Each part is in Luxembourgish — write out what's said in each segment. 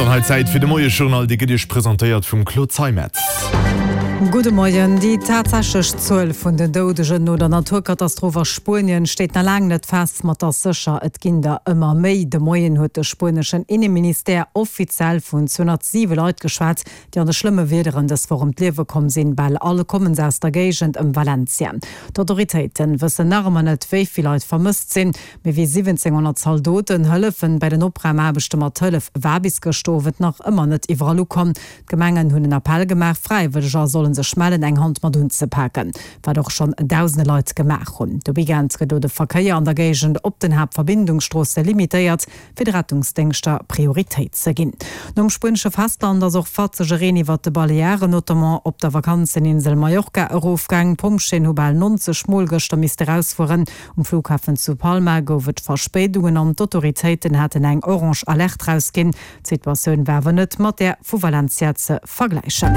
dann hei Zäit fir de Moiesjournal, dee gëtt Iech presentéiert vum Claude Zeimetz. Gudde Moien. Déi tatsächlech Zuel vun den Doudegen no der Naturkatastroph a Spuenien steet nach laang net fest, ma et ass sécher, et ginn der ëmmer méi. De Moien huet de spueneschen Inneministère offiziell vun 207 Leit geschwat, déi an de schlëmme Wiederen dës Woch ëm d'Liewe komm sinn. Bal all komme se aus der Géigend ëm Valencia. D'Autoritéite wëssen nach ëmmer net, wéi vill Leit vermësst sinn. Méi wéi 1.700 Zaldoten hëllefen bei den Opraumaarbechte, ma d'Hëllef war bis gëschter Owend nach ëmmer net iwwerall ukomm. D'Gemengen hunn en Appell gemaach, Fräiwëlleger solle sech mellen, eng Hand mat unzepaken, wat och schonn dausende Leit gemaach hunn. De Weekend gëtt elo de Verkéier an der Géigend op den Haaptverbindungsstroosse limitéiert, fir de Rettungsdéngschter Prioritéit ze ginn. Nom spuenesche Festland ass och fatzege Reen iwwert de Balearen, notamment op der Vakanzeninsel Mallorca, erofgaang. D'Pompjeeën hu bal 90 Mol gëschter misste rausfueren. Um Flughafen zu Palma gouf et Verspéidungen an d'Autoritéiten haten eng orange Alerte rausginn. D'Situatioun war awer net mat där vu Valencia ze vergläichen.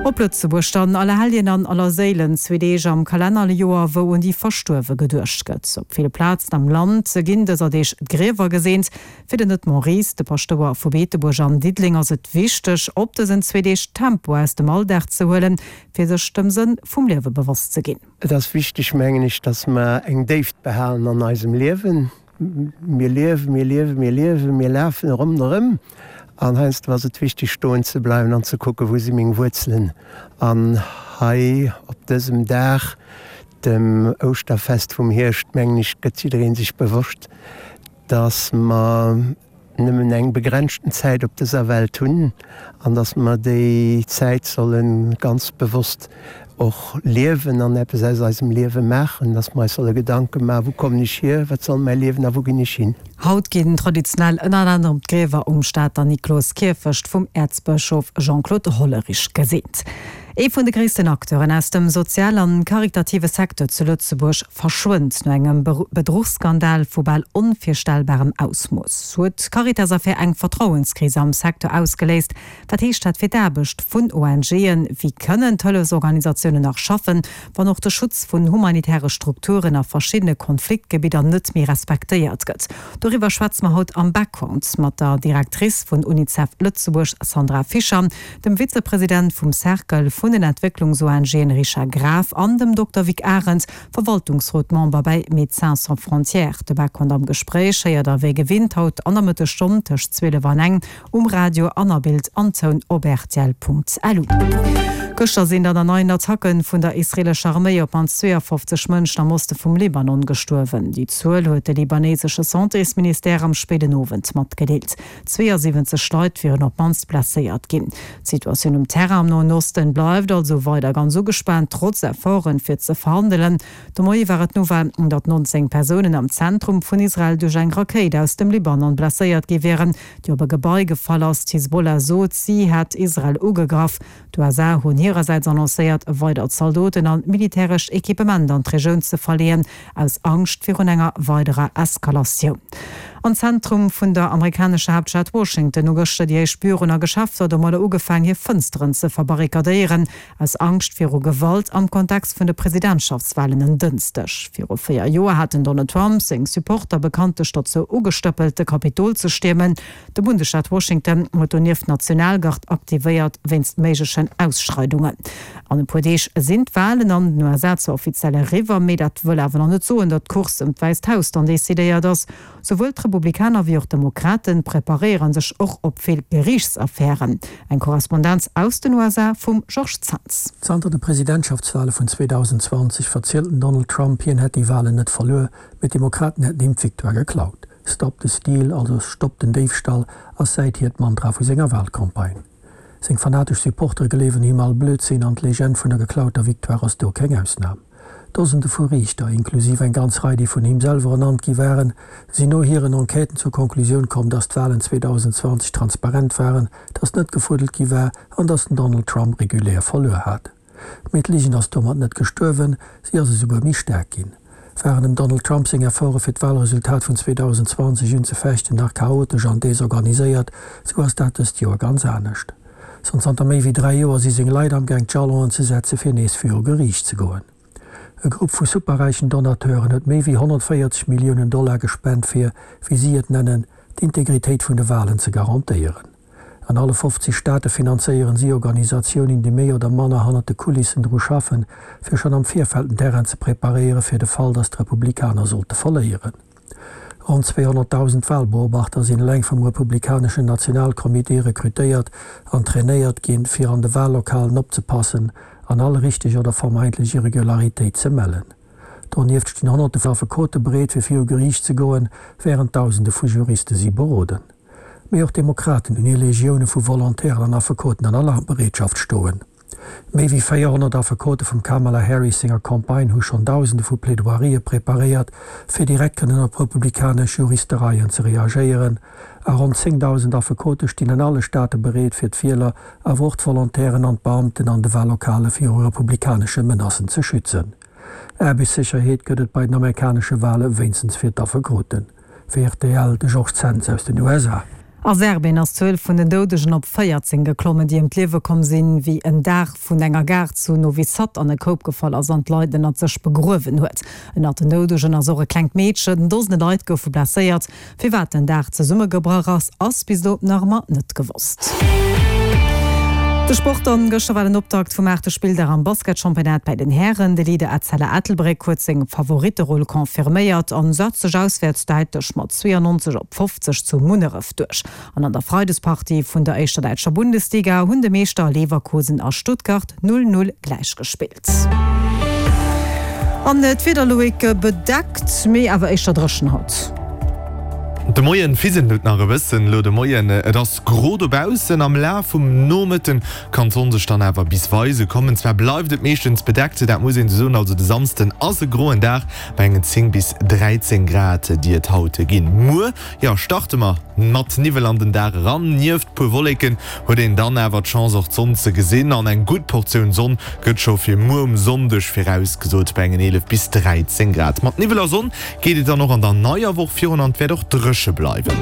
Op Lëtzebuerg dann, Allerhelljen an Allerséilen, zwee Deeg am Kalennerjoer, wou un déi Verstuerwe geduecht gëtt. Op ville Plazen am Land ginn dëser Deeg d'Griewer geseent. Fir den Edmond Ries, de Paschtouer vu Beetebuerg an Diddeleng, ass et wichteg, op dësen zwee Deeg Tempo aus dem Alldag ze huelen, fir sech dem Sënn vum Liewe bewosst ze ginn. Et ass wichteg, mengen ech, dass mer eng Déift behalen an eisem Liewen. Mir liewen, mir liewen, mir liewen, mir lafen ronderëm an heiansdo ass et wichteg stoen ze bleiwen an ze kucken, wou si meng Wuerzelen. An hei op dësem Dag, dem Ouschterfest vum Hierscht, mengen ech, gëtt jidderee sech bewosst, dass mer nëmmen eng begrenzten Zäit op dëser Welt hunn an dass mer déi Zäit solle ganz bewosst och liewen an eppes aus eisem Liewe maachen, dass mer eis solle Gedanke maachen, Wou kommen ech hier, wat soll mäi Liewen a wou ginn ech hin? Haut ginn traditionell ënner anerem d'Griewer um Stater Nikloskierfecht vum Äerzbëschof Jean-Claude Hollerich geseent. Ee vun de gréissten Acteuren aus dem sozial an karitative Secteur zu Lëtzebuerg verschwënnt no engem Bedruchsskandal vu bal onvirstellbarem Ausmooss. Huet d'Caritas-Affär eng Vertrauenskris am Secteur ausgeléist? Wat heescht dat fir d'Aarbecht vun ONGen? Wéi kënnen d'Hëllefsorganisatiounen nach schaffen, wann och de Schutz vun humanitäre Strukturen a verschiddene Konfliktgebidder net méi respektéiert gëtt? Doriwwer schwätze mer haut am Background mat der Directrice vun UNICEF Lëtzebuerg Sandra Fischer, dem Vizepresident vum Cercle vun den Entwécklungs-ONGen Richard Graf an dem Dokter Vic Arendt, Verwaltungsrot-Member bäi Médecins Sans Frontières. De Background am Gespréich héiert der wéi gewinnt haut an der Mëttesstonn tëscht 12 an eng um Radio an a Bild an Toun op rtl.lu. Gëschter sinn dann an neien Attacke vun der israeelescher Arméi op d'mannst 52 Mënschen am Oste vum Libanon gestuerwen. Déi Zuel huet de libanesesche Santésministère am spéiden Owend matgedeelt. 72 Leit wieren op d'mannst blesséiert ginn. D'Situatioun um Terrain am Noen Osten bleift also weider ganz ugespaant, trotz Efforten, fir ze verhandelen. De Moie war et d'Nouvelle, datt 19 Persounen am Zentrum vun Israel duerch eng Rakéit aus dem Libanon blesséiert gi wieren, déi op e Gebai gefall ass. D'Hisbollah sot, si hätt Israel ugegraff. D'USA hunn hirersäits annoncéiert, weider Zaldoten an militärescht Equipement an d'Regioun ze verleeën, aus Angscht virun enger weiderer Eskalatioun. Am Zentrum vun der amerikanescher Haaptstad Washington hu gëschter déi éischt Büroen a Geschäfter domadder ugefaang, hir Fënsteren ze verbarrikadéieren, aus Angscht viru Gewalt am Kontext vun de Presidentschaftswalen en Dënschdeg. Viru 4 Joer hat den Donald Trump seng Supporter bekanntlech dozou ugestëppelt, de Kapitol ze stiermen. De Bundesstaat Washington huet donieft d'Nationalgard aktivéiert wéinst méiglechen Ausschreidungen. An e puer Deeg sinn d'Walen an den USA zwar offiziell eriwwer, mee dat wëll awer nach net soen, datt d'Course ëm d'Wäisst Haus dann decidéiert ass. Souwuel d'Republikaner wéi och d'Demokrate preparéiere sech och op vill Geriichtsaffären. Eng Korrespondenz aus den USA vum Georges Zens. Zanter de Presidentschaftswale vun 2020 verzielt den Donald Trump, hien hätt déi Walen net verluer, mee d'Demokraten hätten him d'Victoire geklaut. Stop the Steal, also Stopp den Déifstall, ass säithier d'Mantra vu senger Walcampagne. Seng fanatesch Supportere gleewen him all Blödsinn an d'Legend vun der geklauter Victoire ass do keng Ausnam. Dosende vu Riichter, inklusiv eng ganz Rei déi vun him selwer ernannt gi waren, sinn no hiren Enquêten zur Konklusioun komm, datt d'Walen 2020 transparent waren, datt net gefuddelt gi war an datt den Donald Trump regulär verluer hat. Mee d'Ligen ass domat net gestuerwen, si ass esouguer méi staark ginn. Waren dem Donald Trump seng Efforte fir d'Walresultat vun 2020 unzefechten nach chaotesch an desorganiséiert, sou ass dat dëst Joer ganz anescht. Schonn zanter méi wéi 3 Joer si seng Leit amgaang d'Jalonen ze setze fir nees viru Geriicht ze goen. E Grupp vu superräichen Donateuren huet méi wéi 140 Milliounen Dollar gespent fir, wéi si et nennen, d'Integritéit vun de Walen ze garantéieren. An alle 50 Staate finanzéieren si Organisatiounen, déi méi oder manner hannert de Kulissen dru schaffen, fir schonn am Virfeld den Terrain ze preparéieren, fir de Fall, datt d'Republikaner sollte verléieren. Ronn 200.000 Walbeobachter sinn eleng vum republikaneschen Nationalcomité rekrutéiert an trainéiert ginn, fir an de Wallokalen opzepassen an all richteg oder vermeintlech Irregularitéit ze mellen. Donieft stinn Honnerte vun Affekote bereet, fir viru Geriicht ze goen, wärend Dausende vu Juriste si beroden. Mee och d'Demokraten hunn hir Legioune vu Volontairen an Affekoten an Alarmbereetschaft stoen. Méi wéi 400 Affekote vum Kamala Harris senger Campagne hu schonn Dausende vu Plaidoirië preparéiert, fir direkt kënnen op republikanesch Juristereien ze reagéieren. A ronn 10.000 Affekote stinn an alle Staate bereet, fir d'Wieler, awer och d'Volontairen an d'Beamten an de Wahllokale viru republikanesche Menacen ze schützen. Aarbechtssécherheet gëtt et bei den amerikanesche Wahle wéinstens fir d'Affekoten. Fir rtl, de Georges Zens aus den USA. A Serbien ass d'Zuel vun den Doudegen op 14 geklommen, déi ëm d'Liewe komm sinn, wéi en Daach vun enger Gare zu Novi Sad an e Koup gefall ass an d'Leit ënnert sech begruewen huet. Ënnert den Doudegen ass och e klengt Meedchen. Dosene Leit goufe blesséiert. Firwat den Daach zesummegebrach ass, ass bis elo nach ëmmer net gewosst. De Sport dann, Gëschter war den Optakt vum aachte Spilldag am Basketchampionnat bäi den Hären. De Leader Etzella Ettelbréck huet seng Favoritteroll confirméiert an setzt sech auswäerts däitlech mat 92 op 50 zu Munneref duerch. An an der Freidespartie vun der éischter däitscher Bundesliga hunn de Meeschter Leverkusen a Stuttgart 0, 0 gläichgespillt. An d'Wieder, Loïc, bedeckt, mee awer éischter dréchen haut. De Moien fiselt et nach e bëssen elo de Moien, et ass gro dobaussen. Am Laf vum Nomëtten kann d'Sonn sech dann awer bis weise kommen. Zwar bleift et meeschtens bedeckt, dat muss een esou soen, also de Samsden ass e groen Dag bei engen 10 bis 13 Grad, déi et haut ginn. Muer, jo, starte mer mat Niwwel an den Dag eran. Nieft puer Wolleken huet een dann awer d'Chance och d'Sonn ze gesinn an eng gutt Portioun Sonn gëtt scho fir muer um Sonndeg virausgesot bei engen 11 bis 13 Grad. Mat Niwwel a Sonn geet et dann och an der neier Woch virun an et wäert och dréche bleiwen.